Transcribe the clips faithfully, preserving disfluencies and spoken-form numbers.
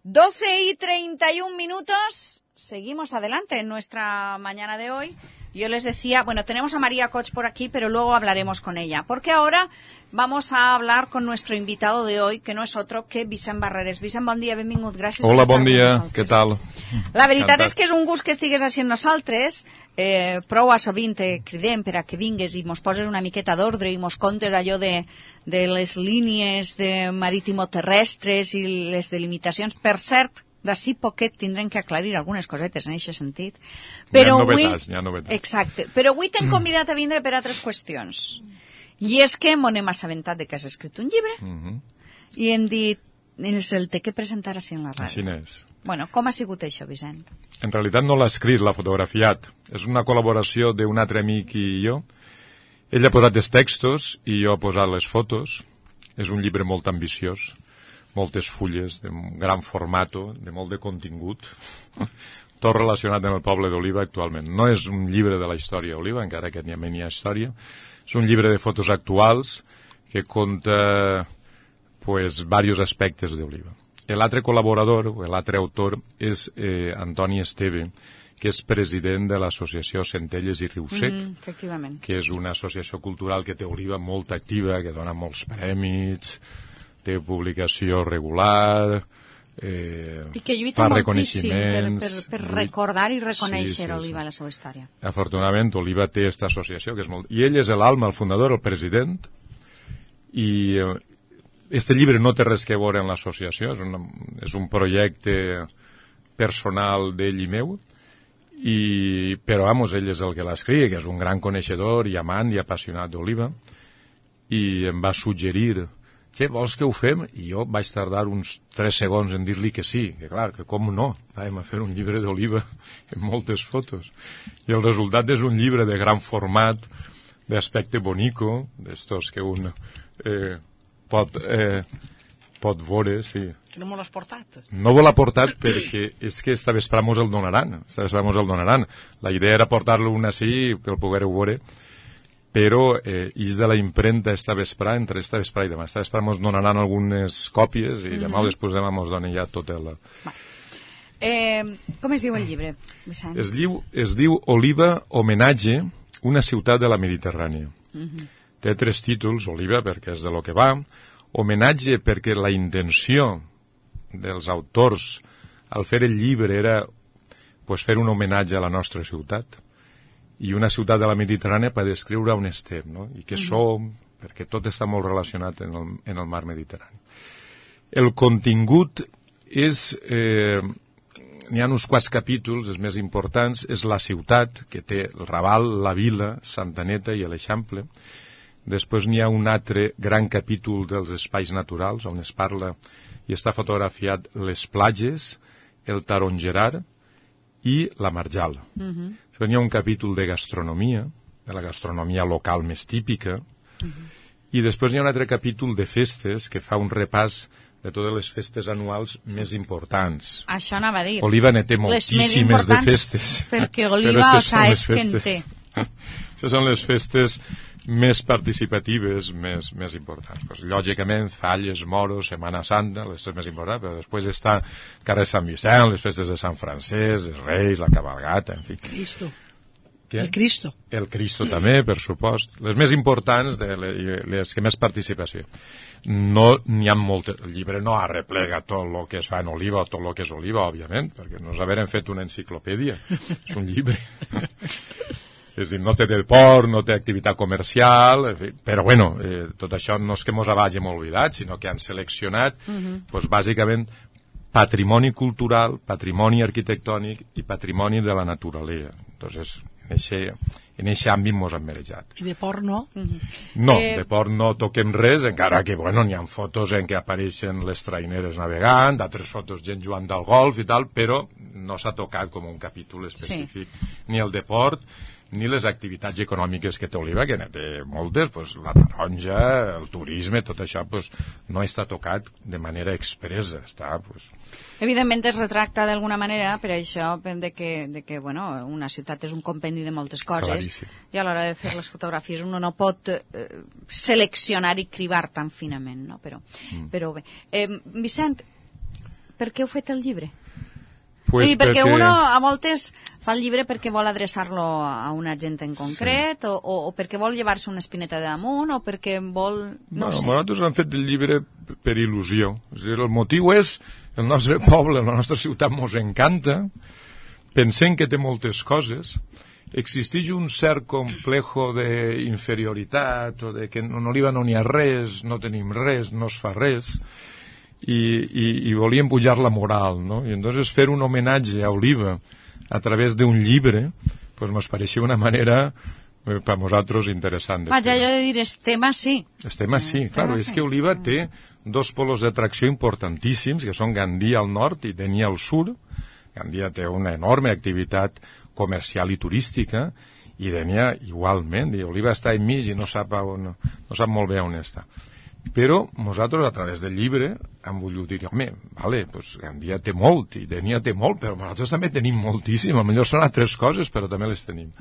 doce y treinta y un minutos. Seguimos adelante en nuestra mañana de hoy. Yo les decía, bueno, tenemos a María Cots por aquí, pero luego hablaremos con ella, porque ahora vamos a hablar con nuestro invitado de hoy, que no és otro que Vicent Barreres. Vicent, bon dia, benvingut, gràcies Hola, per estar bon dia, amb nosaltres. què tal? La veritat és que és un gust que estigues així amb nosaltres, eh, prou a sovint te cridem per a que vingues i mos poses una miqueta d'ordre i mos contes allò de, de les línies de marítimo-terrestres i les delimitacions. Per cert, d'ací poquet tindrem que aclarir algunes cosetes en aquest sentit. Però hi ha avui... novetats, hi ha novetats. Exacte. Però avui t'hem convidat a vindre per altres qüestions. I és que m'ho hem assabentat de que has escrit un llibre Uh -huh. i hem dit, ens el té que presentar així en la ràdio. Així és. Bueno, com ha sigut això, Vicent? En realitat no l'ha escrit, l'ha fotografiat. És una col·laboració d'un altre amic i jo. Ell ha posat els textos i jo he posat les fotos. És un llibre molt ambiciós, moltes fulles, de gran formato, de molt de contingut, tot relacionat amb el poble d'Oliva actualment. No és un llibre de la història d'Oliva, encara que n'hi ha menys història. És un llibre de fotos actuals que conta pues, diversos aspectes d'Oliva. L'altre col·laborador, o l'altre autor, és eh, Antoni Esteve, que és president de l'associació Centelles i Riu Sec, Mm, efectivament. que és una associació cultural que té Oliva molt activa, que dona molts prèmits, té publicació regular, eh, I que lluita fa moltíssim per, reconeixements. per, per recordar i reconèixer Sí, sí, Oliva sí. i la seva història. Afortunadament, Oliva té aquesta associació, que és molt... I ell és l'alma, el fundador, el president, i eh, este llibre no té res que veure amb l'associació, és, una, és un projecte personal d'ell i meu, i, però, vamos, ell és el que l'escriu, que és un gran coneixedor i amant i apassionat d'Oliva, i em va suggerir, què, vols que ho fem? I jo vaig tardar uns tres segons en dir-li que sí, que clar, que com no, anem a fer un llibre d'Oliva amb moltes fotos. I el resultat és un llibre de gran format, d'aspecte bonico, d'estos que un eh, pot, eh, pot veure, sí. Que no me l'has portat? No me l'ha portat perquè és que esta vesprà mos el donaran, esta vesprà mos el donaran. La idea era portar-lo un així, que el poguereu veure, però eh, és de la impremta esta vesprà, entre esta vesprà i demà. Esta vesprà mos donaran algunes còpies i demà o després demà mos donen ja tot el... Eh, com es diu el llibre, Vicent? Es diu, es diu Oliva, homenatge, una ciutat de la Mediterrània. Uh-huh. Té tres títols, Oliva, perquè és de lo que va, homenatge perquè la intenció dels autors al fer el llibre era pues, fer un homenatge a la nostra ciutat, i una ciutat de la Mediterrània per descriure on estem, no? I què uh-huh. som, perquè tot està molt relacionat en el, en el mar Mediterrani. El contingut és... Eh, n'hi ha uns quants capítols, els més importants, és la ciutat, que té el Raval, la Vila, Santaneta i l'Eixample. Després n'hi ha un altre gran capítol dels espais naturals, on es parla i està fotografiat les platges, el Tarongerar i la Marjal. Uh-huh. Després n'hi ha un capítol de gastronomia, de la gastronomia local més típica, uh-huh. i després n'hi ha un altre capítol de festes que fa un repàs de totes les festes anuals més importants. Això anava a dir. Oliva ne té moltíssimes de festes. Perquè Oliva, o sea, és que en té. Aquestes són les festes més participatives, més, més importants. Pues, lògicament, Falles, Moros, Setmana Santa, les festes més importants, però després està Carrer Sant Vicent, les festes de Sant Francesc, els Reis, la Cabalgata, en fi. Cristo. Què? El Cristo. El Cristo també, per supost. Les més importants, de les, les que més participació. No n'hi ha moltes. El llibre no arreplega tot el que es fa en Oliva o tot el que és Oliva, òbviament, perquè no haverem fet una enciclopèdia. És un llibre. És dir, no té del port, no té activitat comercial, en fi, però bueno, eh, tot això no és que mos hagin oblidat, sinó que han seleccionat, uh-huh. pues, bàsicament, patrimoni cultural, patrimoni arquitectònic i patrimoni de la naturalesa. Entonces, en eixe, en eixe àmbit mos han merejat. I de port no? No, Eh... de port no toquem res, encara que, bueno, n'hi ha fotos en què apareixen les traineres navegant, d'altres fotos gent jugant del golf i tal, però no s'ha tocat com un capítol específic. Sí. Ni el de port, ni les activitats econòmiques que té Oliva, que ne té moltes, pues, la taronja, el turisme, tot això pues, no està tocat de manera expressa. Està, pues... Evidentment es retracta d'alguna manera per això de que, de que bueno, una ciutat és un compendi de moltes coses. Claríssim. I a l'hora de fer les fotografies uno no pot eh, seleccionar i cribar tan finament, no? Però, mm. però bé. Eh, Vicent, per què heu fet el llibre? Pues I perquè, perquè uno a voltes fa el llibre perquè vol adreçar-lo a una gent en concret, sí. o, o, o perquè vol llevar-se una espineta de damunt, o perquè vol... No bueno, sé. Nosaltres hem fet el llibre per il·lusió. És a dir, el motiu és el nostre poble, la nostra ciutat mos encanta, pensem que té moltes coses, existeix un cert complejo d'inferioritat, o de que en Oliva no n'hi ha res, no tenim res, no es fa res, i, i, i volíem pujar la moral, no? I entonces fer un homenatge a Oliva a través d'un llibre, pues nos pareixia una manera eh, per nosaltres interessant. Vaja, allò de dir, estem així. Estem així, estem claro, així. és que Oliva té dos polos d'atracció importantíssims, que són Gandia al nord i Dénia al sud. Gandia té una enorme activitat comercial i turística, i Dénia igualment, i Oliva està enmig i no sap, on, no sap molt bé on està. Però nosaltres, a través del llibre, hem volgut dir, home, vale, pues Gandia té molt i Dénia té molt, però nosaltres també tenim moltíssim, potser són altres coses, però també les tenim.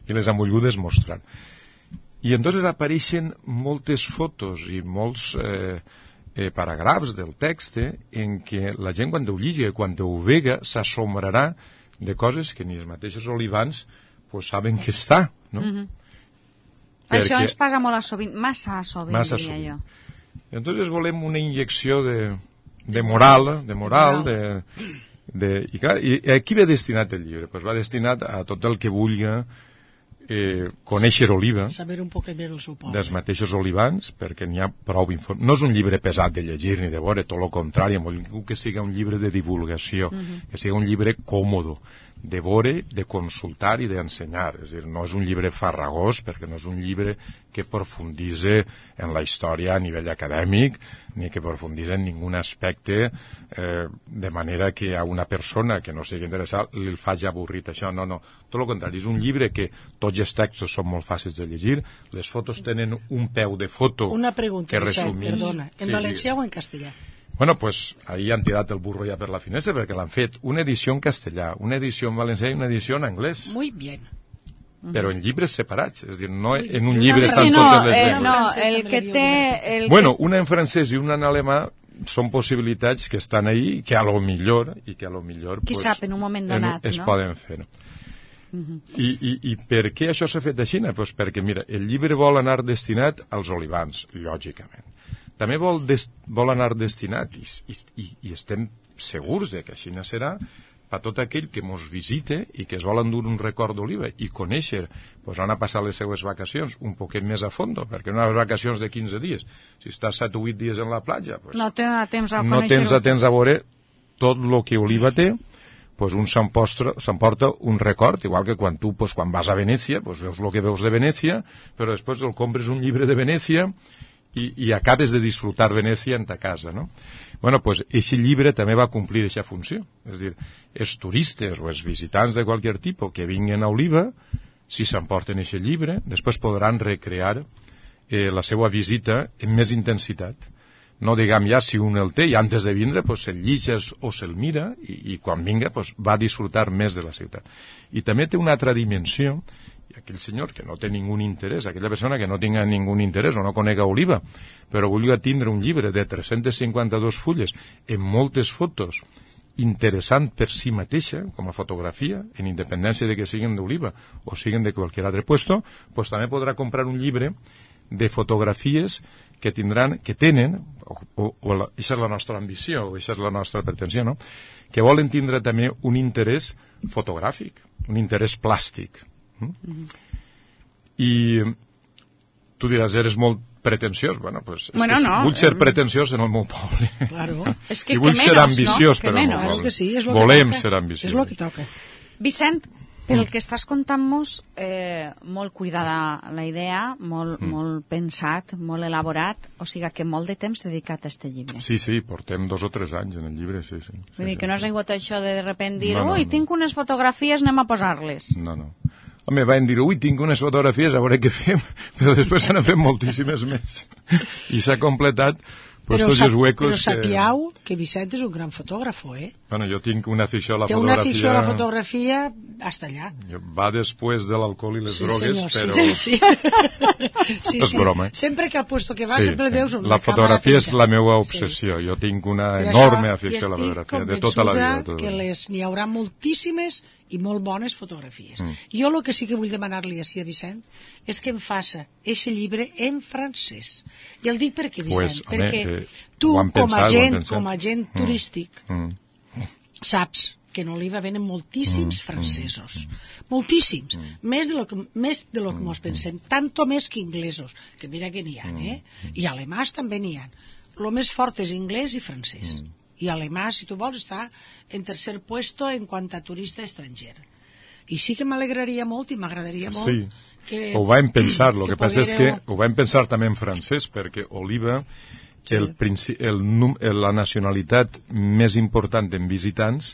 I les hem volgut demostrar. I entonces apareixen moltes fotos i molts eh, eh, paragrafs del text en què la gent, quan ho lligi, quan ho vega, s'assombrarà de coses que ni els mateixos olivans pues, saben que està, no? Mm-hmm. Perquè... Això ens passa molt a sovint, massa a sovint, massa diria sovint. jo. Entonces volem una injecció de, de moral, de moral, de, de, i, clar, i a qui va destinat el llibre? Pues va destinat a tot el que vulgui eh, conèixer Oliva, saber un poc més el seu poble, dels mateixos olivans, perquè n'hi ha prou informació. No és un llibre pesat de llegir ni de veure, tot el contrari, volem que sigui un llibre de divulgació, uh-huh. que sigui un llibre còmodo, de veure, de consultar i d'ensenyar. És a dir, no és un llibre farragós, perquè no és un llibre que profunditze en la història a nivell acadèmic, ni que profunditze en ningun aspecte, eh, de manera que a una persona que no sigui interessada li faci avorrit això. No, no, tot el contrari. És un llibre que tots els textos són molt fàcils de llegir, les fotos tenen un peu de foto una pregunta, que resumís. Perdona, en sí, valencià sí. o en castellà? Bueno, pues ahí han tirat el burro ja per la finestra, perquè l'han fet una edició en castellà, una edició en valencià i una edició en anglès. Muy bien. Però en llibres separats, és a dir, no en un llibre sí, estan no, totes les eh, llengües. no, el que té... El bueno, que... una en francès i una en alemà són possibilitats que estan ahí, que a lo millor, i que a lo millor... Qui pues, sap, en un moment donat, en, es no? poden fer. Uh -huh. I, i, I per què això s'ha fet així? Pues perquè, mira, el llibre vol anar destinat als olivans, lògicament. També vol, des, vol anar destinat, i, i, i estem segurs de que així serà, per tot aquell que mos visite i que es vol endur un record d'Oliva i conèixer, pues, on a passar les seues vacacions un poquet més a fondo, perquè unes vacacions de quinze dies, si estàs set o vuit dies en la platja, pues, no tens temps a no tens a temps a veure tot el que Oliva té, pues un s'emporta un record, igual que quan tu, pues, quan vas a Venècia, pues, veus el que veus de Venècia, però després el compres un llibre de Venècia i, i acabes de disfrutar Venècia en ta casa, no? Bueno, pues, aquest llibre també va complir aquesta funció. És a dir, els turistes o els visitants de qualsevol tipus que vinguen a Oliva, si s'emporten aquest llibre, després podran recrear eh, la seva visita amb més intensitat. No diguem ja si un el té i antes de vindre pues, se'l llitges o se'l mira i, i quan vinga pues, va a disfrutar més de la ciutat. I també té una altra dimensió, i aquell senyor que no té ningun interès, aquella persona que no tinga ningun interès o no conega Oliva, però vulgui tindre un llibre de tres-centes cinquanta-dues fulles amb moltes fotos, interessant per si mateixa, com a fotografia, en independència de que siguin d'Oliva o siguin de qualsevol altre puesto, pues també podrà comprar un llibre de fotografies que tindran, que tenen, o, o, o la, això és la nostra ambició, o això és la nostra pretensió, no? Que volen tindre també un interès fotogràfic, un interès plàstic. Mm? Mm-hmm. I tu diràs, eres molt pretensiós. Bueno, pues, bueno, és que no, vull ser eh... pretensiós en el meu poble. Claro. És que I vull que ser menos, ambiciós no? per al meu Claro poble. que sí, és lo Volem que toca. ser ambiciosos. És lo que toca. Vicent, pel que estàs contant-nos, eh, molt cuidada la idea, molt, mm. molt pensat, molt elaborat, o sigui que molt de temps dedicat a este llibre. Sí, sí, portem dos o tres anys en el llibre, sí, sí. Vull dir sí, que sí. no has hagut això de de repent dir, no, no, ui, no. tinc unes fotografies, anem a posar-les. No, no. Home, van dir, ui, tinc unes fotografies, a veure què fem, però després s'han fet moltíssimes més. I s'ha completat Però, sap, però sapiau que... que Vicent és un gran fotògraf, eh? Bueno, jo tinc una afició a la Té fotografia... Té una afició a la fotografia hasta allà. Va després de l'alcohol i les sí, drogues, senyor, però... Sí, sí, sí. sí, és sí. broma, eh? Sempre que al puesto que vas sí, sempre sí. veus una la fotografia és la meva obsessió. Sí. Jo tinc una enorme afició a la fotografia, de tota la vida. Tot. Que les n'hi haurà moltíssimes i molt bones fotografies. Mm. Jo el que sí que vull demanar-li així a Vicent és que em faça eixe llibre en francès. I el dic perquè, Vicent, pues, perquè home, eh, tu, pensat, com, a gent, com a gent turístic, mm. Mm. saps que en Oliva venen moltíssims mm. francesos. Mm. Moltíssims. Mm. Més de lo que, més de lo que mos pensem. Tanto més que inglesos, que mira que n'hi ha, eh? I alemans també n'hi ha. Lo més fort és anglès i francès. Mm. I alemà, si tu vols, està en tercer puesto en quant a turista estranger. I sí que m'alegraria molt i m'agradaria molt... Sí, que, ho vam pensar, el que, que passa és que ho vam pensar també en francès, perquè Oliva, sí. el, el, el, la nacionalitat més important en visitants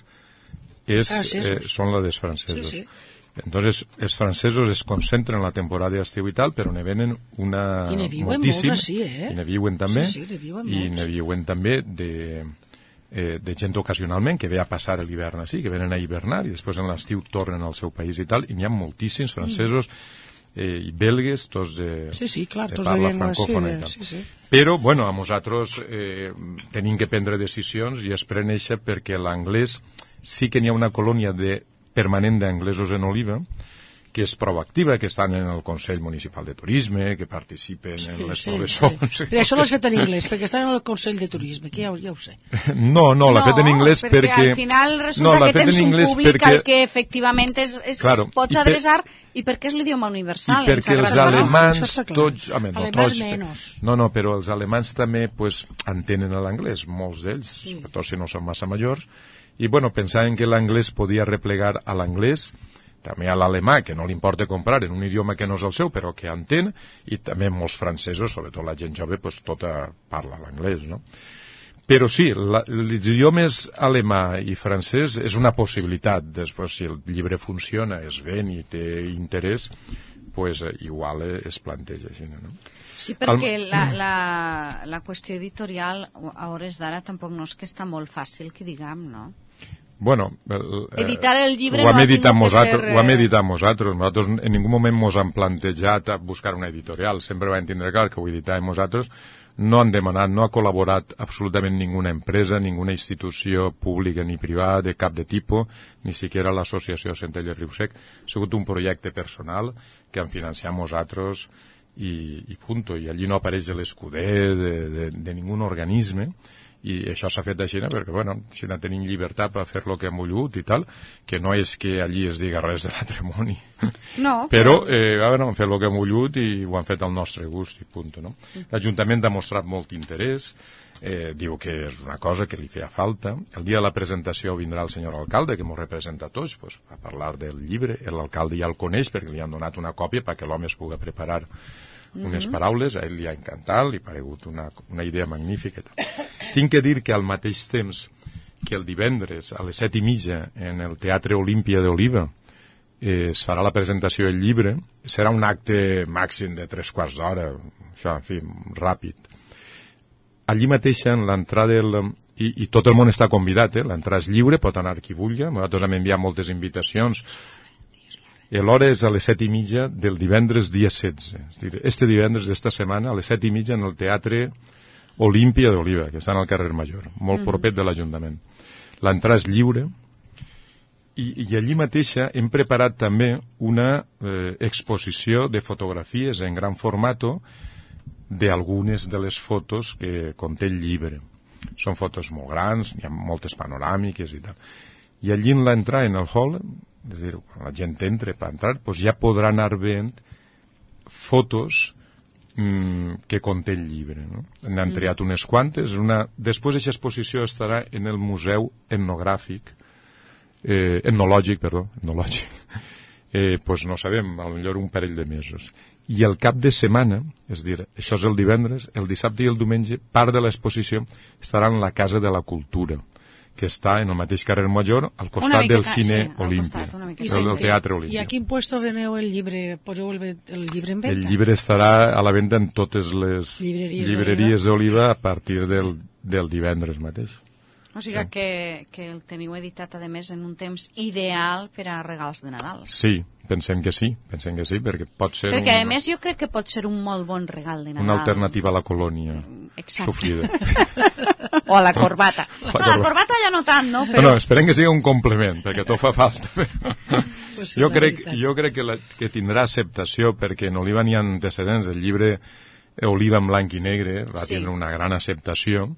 és, eh, són la dels francesos. Sí, sí. Entonces, els francesos es concentren en la temporada d'estiu i tal, però ne venen una... I ne viuen moltíssim, molts, sí, eh? I ne viuen també, sí, sí, ne viuen i ne viuen també de... Eh, de gent ocasionalment que ve a passar l'hivern així, que venen a hivernar i després en l'estiu tornen al seu país i tal, i n'hi ha moltíssims francesos eh, i belgues, tots de, sí, sí, clar, de tots parla de francòfona sí, i tal. Sí, sí. Però, bueno, a nosaltres eh, tenim que prendre decisions i es pren eixa perquè l'anglès sí que n'hi ha una colònia de, permanent d'anglesos en Oliva, que és proactiva, que estan en el Consell Municipal de Turisme, que participen sí, en les sí, professors... Sí. Però això l'has fet en anglès, perquè estan en el Consell de Turisme, que ja, ja ho sé. No, no, l'ha no, fet en anglès perquè... perquè... al final resulta no, que tens un públic perquè... al que efectivament és, és, claro, pots adreçar, i, per... i perquè és l'idioma universal. I perquè els alemans, no? tots... Home, no, tots menys. No, no, però els alemans també pues, entenen l'anglès, molts d'ells, sí. Sobretot si no són massa majors, i bueno, pensaven que l'anglès podia replegar a l'anglès, també a l'alemà, que no li importa comprar en un idioma que no és el seu, però que entén, i també molts francesos, sobretot la gent jove, pues, tota parla l'anglès, no? Però sí, l'idioma alemà i francès és una possibilitat. Després, si el llibre funciona, es ven i té interès, pues, igual es planteja així, no? Sí, perquè el... la, la, la qüestió editorial a hores d'ara tampoc no és que està molt fàcil, que diguem, no? Bueno, el, editar el llibre ho hem no ha editat tingut nosaltres, que ser... Ho hem editat nosaltres. Nosaltres en ningú moment mos han plantejat a buscar una editorial. Sempre vam tindre clar que ho editàvem nosaltres. No han demanat, no ha col·laborat absolutament ninguna empresa, ninguna institució pública ni privada de cap de tipus, ni siquiera l'associació Centelles Riu Sec. Ha sigut un projecte personal que han financiat nosaltres i, i punto. I allí no apareix l'escuder de, de, de ningun organisme. I això s'ha fet així, perquè, bueno, si no tenim llibertat per fer el que hem volgut i tal, que no és que allí es diga res de l'atrimoni. No. Però, eh, bueno, hem fet el que hem volgut i ho han fet al nostre gust i punt, no? L'Ajuntament ha mostrat molt interès, eh, diu que és una cosa que li feia falta. El dia de la presentació vindrà el senyor alcalde, que ens representa a tots, pues, a parlar del llibre. L'alcalde ja el coneix perquè li han donat una còpia perquè l'home es pugui preparar unes mm-hmm. paraules, a ell li ha encantat, li ha paregut una, una idea magnífica. Tinc que dir que al mateix temps que el divendres a les set i mitja en el Teatre Olímpia d'Oliva eh, es farà la presentació del llibre, serà un acte màxim de tres quarts d'hora, això, en fi, ràpid. Allí mateix en l'entrada del... I, i tot el món està convidat, eh? L'entrada és lliure, pot anar qui vulgui, nosaltres hem enviat moltes invitacions. L'hora és a les set i mitja del divendres dia setze. És dir, este divendres d'esta setmana a les set i mitja en el Teatre Olímpia d'Oliva, que està al carrer Major, molt mm-hmm. propet de l'Ajuntament. L'entrada és lliure i, i allí mateixa hem preparat també una eh, exposició de fotografies en gran formato d'algunes de les fotos que conté el llibre. Són fotos molt grans, hi ha moltes panoràmiques i tal. I allí en l'entrada, en el hall, és a dir, quan la gent entra per entrar, doncs ja podrà anar veient fotos mmm, que conté el llibre. No? N'han triat unes quantes. Una... Després aquesta exposició estarà en el Museu Etnogràfic, eh, etnològic, perdó, etnològic. Eh, doncs no sabem, potser un parell de mesos. I el cap de setmana, és a dir, això és el divendres, el dissabte i el diumenge, part de l'exposició estarà en la Casa de la Cultura, que està en el mateix carrer Major, al costat miqueta, del cine sí, al Olímpia, costat, del, del Teatre Olímpia. I a quin puesto veneu el llibre? Poseu el, el llibre en venda? El llibre estarà a la venda en totes les llibreries, llibreries d'Oliva a partir del, del divendres mateix. O sigui que, que el teniu editat, a més, en un temps ideal per a regals de Nadal. Sí, pensem que sí, pensem que sí, perquè pot ser... Perquè, un, a més, jo crec que pot ser un molt bon regal de Nadal. Una alternativa a la colònia. Exacte. Sofrida. O a la corbata. La no, la corbata ja no tant, no? Però... No, no, esperem que sigui un complement, perquè tot fa falta. Pues sí, jo, crec, jo crec que, la, que tindrà acceptació, perquè en Oliva n'hi ha antecedents. El llibre Oliva en blanc i negre va sí. tindre una gran acceptació.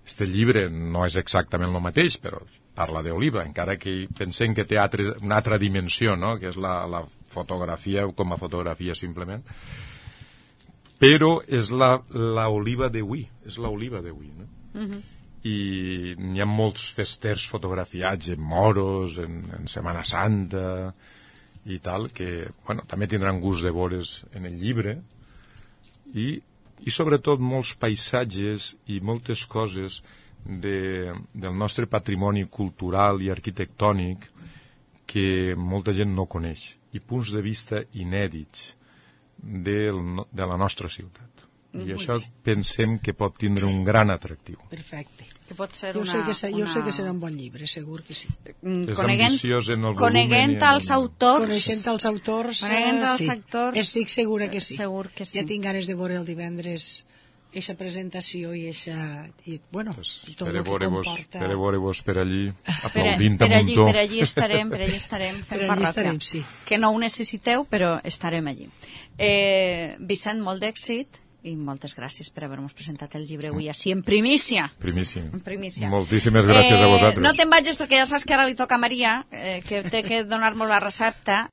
Este llibre no és exactament el mateix, però parla d'Oliva, encara que pensem que té altres, una altra dimensió, no? Que és la, la fotografia com a fotografia simplement. Però és la, la Oliva d'avui, és l'Oliva d'avui, no? Uh-huh. I n'hi ha molts festers fotografiats en moros, en, en Setmana Santa i tal, que bueno, també tindran gust de veure's en el llibre, i i sobretot molts paisatges i moltes coses de, del nostre patrimoni cultural i arquitectònic que molta gent no coneix, i punts de vista inèdits del, de la nostra ciutat. I Molt això bé. Pensem que pot tindre un gran atractiu. Perfecte. Que pot ser jo, una, sé que, se, jo una... sé que serà un bon llibre, segur que sí. És ambiciós en el volumen. Coneguent els autors. Coneixent els autors, Coneguent els sí. autors. Estic segura que sí. Segur que sí. Ja tinc ganes de veure el divendres eixa presentació i eixa... I, bueno, pues, tot el que comporta... Per veure-vos per allí, aplaudint per, a muntó. Per allí estarem, per allí estarem fent per allí parròquia. Estarem, sí. Que no ho necessiteu, però estarem allí. Eh, Vicent, molt d'èxit i moltes gràcies per haver-nos presentat el llibre avui així en primícia. Primícia. En primícia. Moltíssimes gràcies eh, a vosaltres. No te'n vagis perquè ja saps que ara li toca a Maria, eh, que té que donar-nos la recepta.